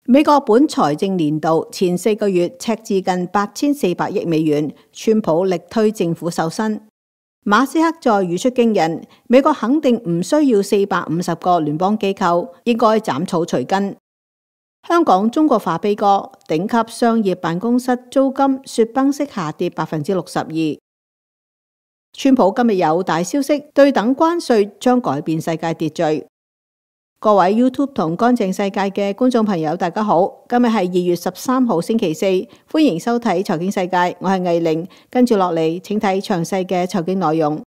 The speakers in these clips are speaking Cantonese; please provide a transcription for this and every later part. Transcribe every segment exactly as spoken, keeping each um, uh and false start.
美國本財政年度前四個月赤字近八千四百億美元，川普力推政府瘦身。馬斯克再語出驚人，美國肯定唔需要四百五十個聯邦機構，應該斬草除根。香港中國化悲歌，頂級商業辦公室租金雪崩式下跌百分之六十二。川普今日有大消息，對等關稅將改變世界秩序。各位 YouTube 同乾淨世界嘅觀眾朋友，大家好，今日係二月十三號星期四，歡迎收睇財經世界，我係藝玲，跟住落嚟，請睇詳細嘅財經內容。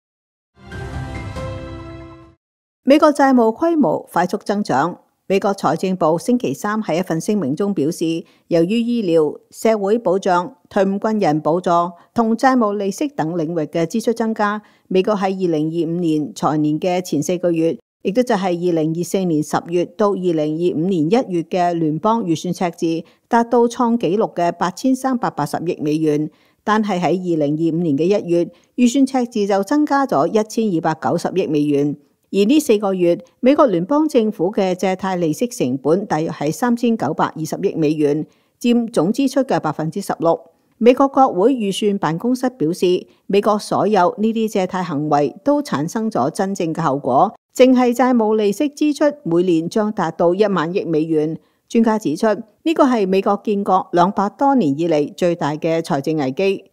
美國債務規模快速增長，美國財政部星期三喺一份聲明中表示，由於醫療、社會保障、退伍軍人補助同債務利息等領域嘅支出增加，美國喺二零二五年財年嘅前四個月，亦都就係二零二四年十月到二零二五年一月嘅聯邦預算赤字達到創紀錄嘅八千三百八十億美元，但係喺二零二五年嘅一月，預算赤字就增加咗一千二百九十億美元。而呢四個月，美國聯邦政府嘅借貸利息成本大約係三千九百二十億美元，佔總支出嘅百分之十六。美國國會預算辦公室表示，美國所有呢啲借貸行為都產生咗真正嘅後果，淨係債務利息支出每年將達到一萬億美元。專家指出，呢個係美國建國兩百多年以嚟最大嘅財政危機。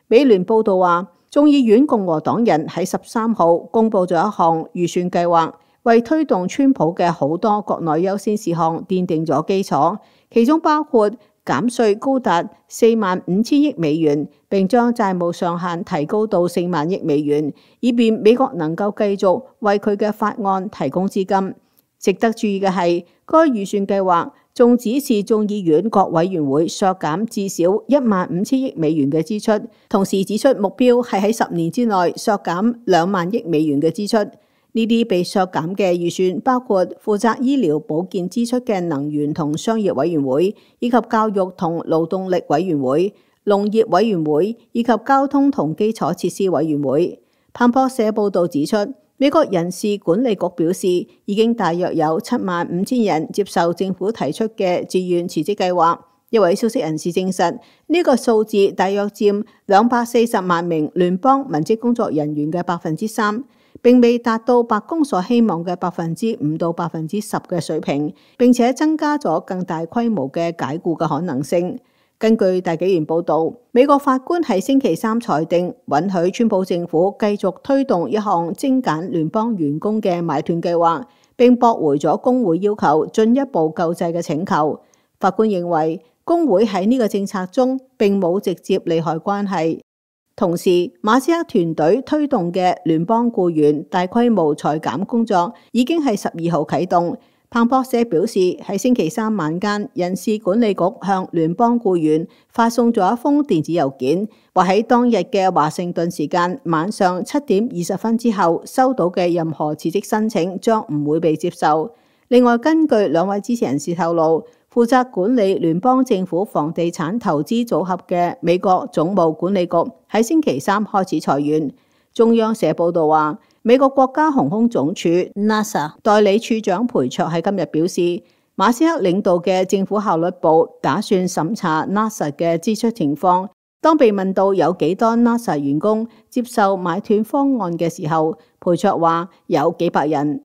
美聯報道話，眾議院共和黨人喺十三號公布咗一項預算計劃，為推動川普嘅好多國內優先事項奠定咗基礎，其中包括減稅高達四萬五千億美元，並將債務上限提高到四萬億美元，以便美國能夠繼續為佢嘅法案提供資金。值得注意嘅係，該預算計劃仲指示眾議院各委員會削減至少一萬五千億美元嘅支出，同時指出目標係喺十年之內削減兩萬億美元嘅支出。呢啲被削減嘅預算包括負責醫療保健支出嘅能源同商業委員會，以及教育同勞動力委員會、農業委員會以及交通同基礎設施委員會。彭博社報導指出，美國人事管理局表示，已經大約有七萬五千人接受政府提出嘅自願辭職計劃。一位消息人士證實，呢個數字大約佔兩百四十萬名聯邦文職工作人員嘅百分之三，並未達到白宮所希望嘅百分之五到百分之十嘅水平，並且增加咗更大規模嘅解僱嘅可能性。根據大紀元報導，美國法官喺星期三裁定允許川普政府繼續推動一項精簡聯邦員工嘅買斷計劃，並駁回咗工會要求進一步救濟嘅請求。法官認為工會喺呢個政策中並冇直接利害關係。同時，馬斯克團隊推動嘅聯邦僱員大規模裁減工作已經係十二號啟動。彭博社表示，喺星期三晚間，人事管理局向聯邦僱員發送咗一封電子郵件，話喺當日嘅華盛頓時間晚上七點二十分之後收到嘅任何辭職申請將唔會被接受。另外，根據兩位支持人士透露，負責管理聯邦政府房地產投資組合嘅美國總務管理局喺星期三開始裁員。中央社報道話，美國國家航空總署 NASA 代理處長裴卓喺今日表示，馬斯克領導嘅政府效率部打算審查 NASA 嘅支出情況。當被問到有幾多 NASA 員工接受買斷方案嘅時候，裴卓話有幾百人。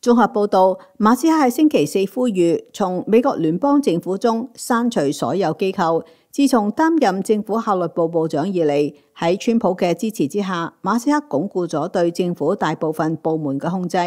綜合報道，馬斯克喺星期四呼籲從美國聯邦政府中刪除所有機構。自從擔任政府效率部部長以嚟，喺川普嘅支持之下，馬斯克鞏固咗對政府大部分部門嘅控制。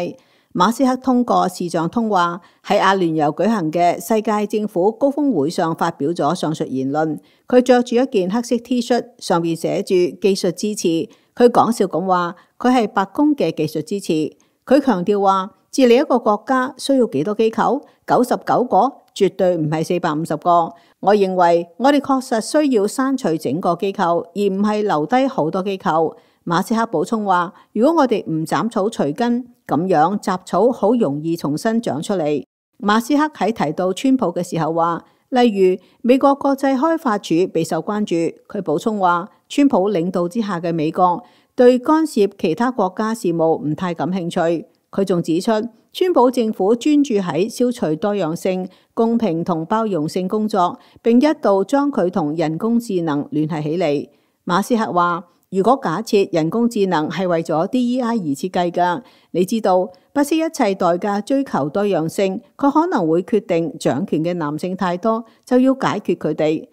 馬斯克通過視像通話喺阿聯酋舉行嘅世界政府高峰會上發表咗上述言論。佢着住一件黑色 T 恤，上面寫住技術支持。佢講笑咁話，佢係白宮嘅技術支持。佢強調話，治理一個國家需要幾多機構？九十九個，絕對唔係四百五十個。我認為我哋確實需要刪除整個機構，而唔係留低好多機構。馬斯克補充話，如果我哋唔斬草除根，咁樣雜草好容易重新長出嚟。馬斯克喺提到川普嘅時候話，例如美國國際開發署備受關注。佢補充話，川普領導之下嘅美國對干涉其他國家事務唔太感興趣。佢仲指出，川普政府專注喺消除多樣性、公平同包容性工作，並一度將佢同人工智能聯繫起嚟。馬斯克話：如果假設人工智能係為咗 D E I 而設計㗎，你知道不惜一切代價追求多樣性，佢可能會決定掌權嘅男性太多，就要解決佢哋。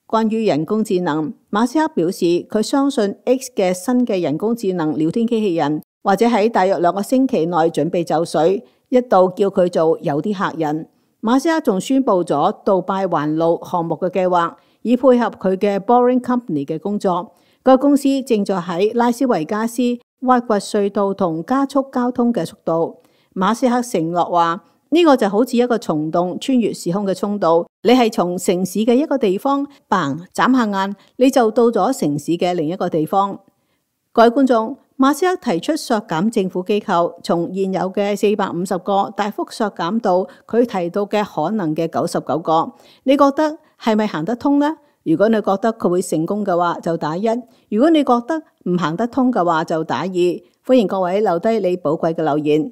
關於人工智能，馬斯克表示佢相信 X 嘅新嘅人工智能聊天機器人，或者喺大約兩個星期內準備就緒，一度叫佢做有啲嚇人。馬斯克仲宣布咗杜拜環路項目嘅計劃，以配合佢嘅 Boring Company 嘅工作。該公司正在喺拉斯維加斯挖掘隧道同加速交通嘅速度。馬斯克承諾話：呢個就好似一個蟲洞穿越時空嘅通道，你係從城市嘅一個地方嘭眨下眼，你就到咗城市嘅另一個地方。各位觀眾，馬斯克提出削減政府機構，從現有嘅四百五十個大幅削減到佢提到嘅可能嘅九十九個，你覺得係咪行得通呢？如果你覺得佢會成功嘅話，就打一；如果你覺得唔行得通嘅話，就打二。歡迎各位留低你寶貴嘅留言。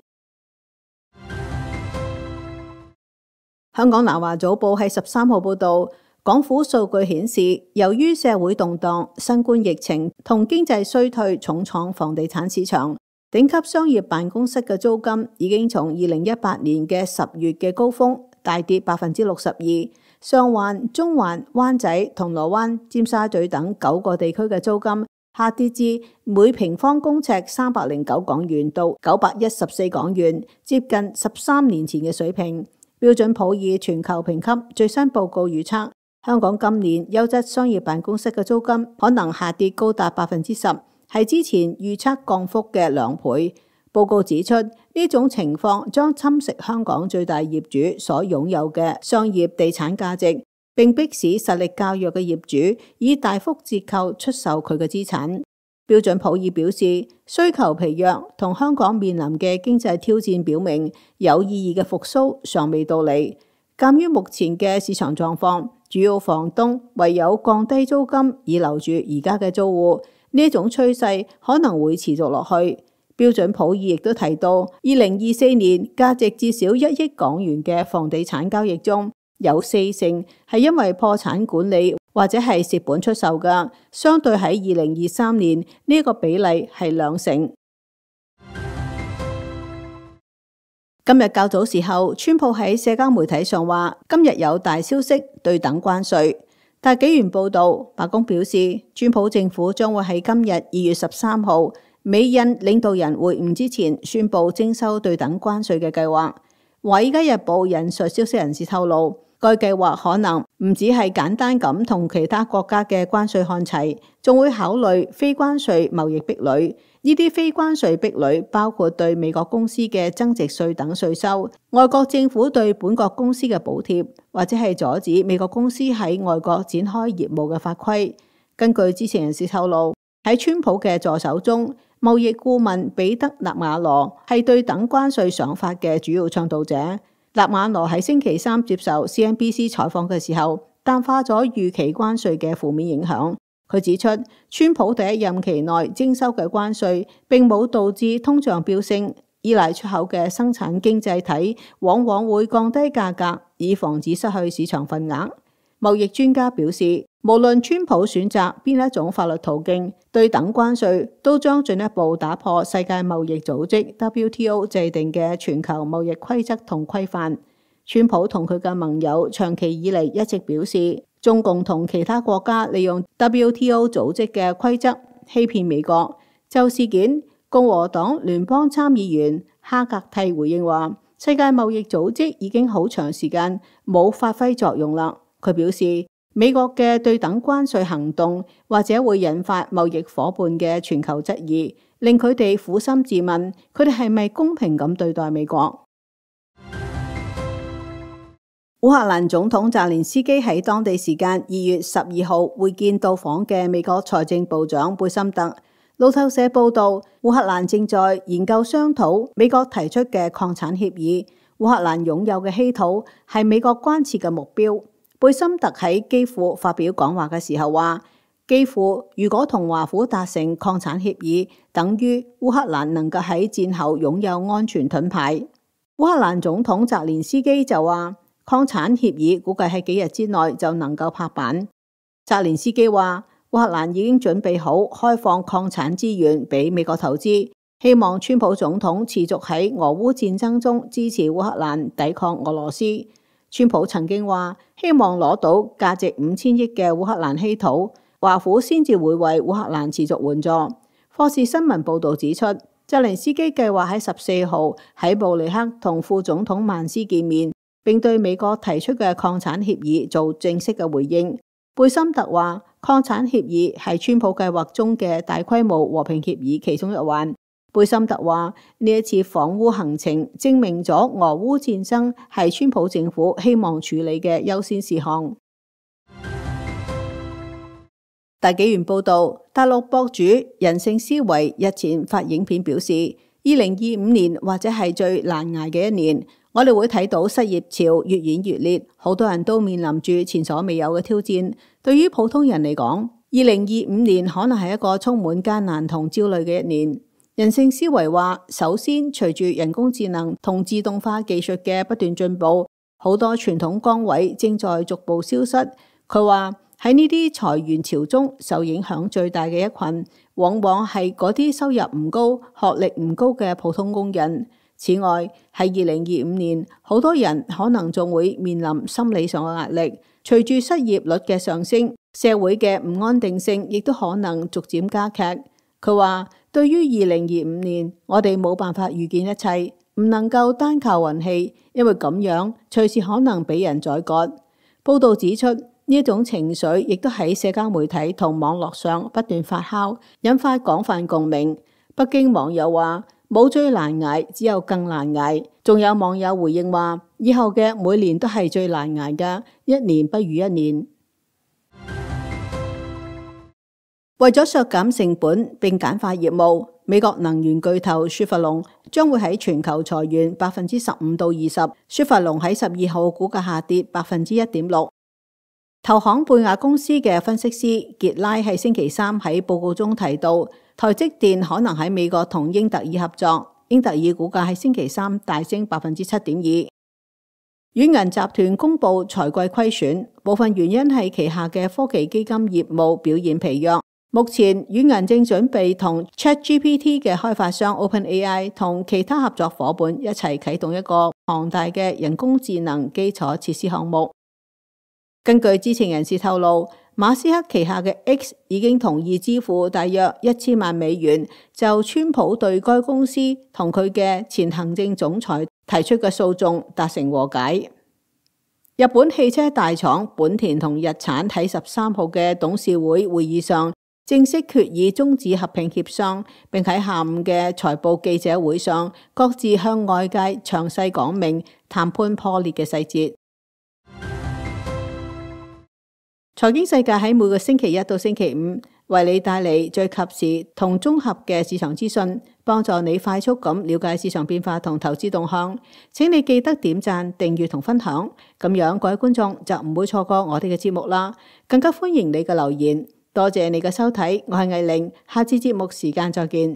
香港南華早報喺十三號報導，港府數據顯示，由於社會動盪、新冠疫情同經濟衰退重創房地產市場，頂級商業辦公室嘅租金已經從二零一八年嘅十月嘅高峰大跌百分之六十二。上環、中環、灣仔、銅鑼灣、尖沙咀等九個地區嘅租金下跌至每平方公尺三百零九港元到九百一十四港元，接近十三年前嘅水平。標準普爾全球評級最新報告預測，香港今年優質商業辦公室嘅租金可能下跌高達百分之十，係之前預測降幅嘅兩倍。報告指出，呢種情況將侵蝕香港最大業主所擁有嘅商業地產價值，並迫使實力較弱嘅業主以大幅折扣出售佢嘅資產。標準普爾表示，需求疲弱同香港面臨嘅經濟挑戰表明，有意義嘅復甦尚未到嚟。鑑於目前嘅市場狀況，主要房東唯有降低租金以留住而家嘅租戶，呢種趨勢可能會持續落去。標準普爾亦都提到，二零二四年價值至少一億港元嘅房地產交易中，有四成係因為破產管理或者係蝕本出售㗎，相對喺二零二三年呢個比例係兩成。今日較早時候，川普喺社交媒體上話，今日有大消息對等關稅。但紀元報道，白宮表示，川普政府將會喺今日二月十三號美印領導人會晤之前宣布徵收對等關稅嘅計劃。華爾街日報引述消息人士透露，該計劃可能唔只係簡單咁同其他國家嘅關稅看齊，仲會考慮非關稅貿易壁壘。呢啲非關稅壁壘包括對美國公司嘅增值稅等稅收、外國政府對本國公司嘅補貼，或者係阻止美國公司喺外國展開業務嘅法規。根據知情人士透露，喺川普嘅助手中，貿易顧問彼得納瓦羅係對等關稅想法嘅主要倡導者。納瓦羅喺星期三接受 C N B C 採訪嘅時候，淡化咗預期關稅嘅負面影響。佢指出，川普第一任期內徵收嘅關稅並冇導致通脹飆升，依賴出口嘅生產經濟體往往會降低價格，以防止失去市場份額。貿易專家表示，無論川普選擇邊一種法律途徑，對等關稅都將進一步打破世界貿易組織 W T O 制定嘅全球貿易規則同規範。川普同佢嘅盟友長期以嚟一直表示，中共同其他國家利用 W T O 組織嘅規則欺騙美國。就事件，共和黨聯邦參議員哈格蒂回應話，世界貿易組織已經好長時間冇發揮作用啦。佢表示，美國嘅對等關稅行動或者會引發貿易夥伴嘅全球質疑，令佢哋苦心自問，佢哋係咪公平咁對待美國？烏克蘭總統澤連斯基喺當地時間二月十二號會見到訪嘅美國財政部長貝森特。路透社報道，烏克蘭正在研究商討美國提出嘅礦產協議。烏克蘭擁有嘅稀土係美國關切嘅目標。貝森特喺基輔發表講話嘅時候話，幾乎如果同華府達成擴產協議，等於烏克蘭能夠喺戰後擁有安全盾牌。烏克蘭總統澤連斯基就話，擴產協議估計喺幾日之內就能夠拍板。澤連斯基話，烏克蘭已經準備好開放擴產資源俾美國投資，希望川普總統持續喺俄烏戰爭中支持烏克蘭抵抗俄羅斯。川普曾經話，希望攞到價值五千億嘅烏克蘭稀土，華府先至會為烏克蘭持續援助。霍士新聞報導指出，澤連斯基計劃喺十四號喺布里克同副總統曼斯見面，並對美國提出嘅擴產協議做正式嘅回應。貝森特話，擴產協議係川普計劃中嘅大規模和平協議其中一環。貝森特話，呢一次訪烏行程證明咗俄烏戰爭係川普政府希望處理嘅優先事項。大紀元報道，大陸博主人性思維日前發影片表示，二零二五年或者係最難捱嘅一年，我哋會睇到失業潮越演越烈，好多人都面臨住前所未有嘅挑戰。對於普通人嚟講，二零二五年可能係一個充滿艱難同焦慮嘅一年。人性思維話，首先隨住人工智能同自動化技術嘅不斷進步，好多傳統崗位正在逐步消失。佢話喺呢啲裁員潮中，受影響最大嘅一群，往往係嗰啲收入唔高、學歷唔高嘅普通工人。此外，喺二零二五年，好多人可能仲會面臨心理上嘅壓力。隨住失業率嘅上升，社會嘅唔安定性亦都可能逐漸加劇。佢話，對於二零二五年，我哋冇辦法預見一切，唔能夠單靠運氣，因為咁樣隨時可能俾人宰割。報道指出，呢一種情緒亦都喺社交媒體同網絡上不斷發酵，引發廣泛共鳴。北京網友話，冇最難捱，只有更難捱。仲有網友回應話，以後嘅每年都係最難捱㗎，一年不如一年。為咗削減成本並簡化業務，美國能源巨頭雪佛龍將會喺全球裁員百分之十五到二十。雪佛龍喺十二號股價下跌百分之一點六。投行貝亞公司嘅分析師傑拉喺星期三喺報告中提到，台積電可能喺美國同英特爾合作。英特爾股價喺星期三大升百分之七點二。軟銀集團公布財季虧損，部分原因係旗下嘅科技基金業務表現疲弱。目前軟銀正準備同 ChatGPT 嘅開發商 OpenAI 同其他合作夥伴一齊啟動一個龐大嘅人工智能基礎設施項目。根據知情人士透露，馬斯克旗下嘅 X 已經同意支付大約一千萬美元，就川普對該公司同佢嘅前行政總裁提出嘅訴訟達成和解。日本汽車大廠本田同日產喺十三號嘅董事會會議上正式決議終止合併協商，並喺下午嘅財報記者會上各自向外界詳細講明談判破裂嘅細節。財經世界喺每個星期一到星期五為你帶嚟最及時同綜合嘅市場資訊，幫助你快速咁了解市場變化同投資動向。請你記得點讚、訂閱同分享，咁樣各位觀眾就唔會錯過我哋嘅節目啦。更加歡迎你嘅留言。多謝你嘅收睇，我係藝玲，下次節目時間再見。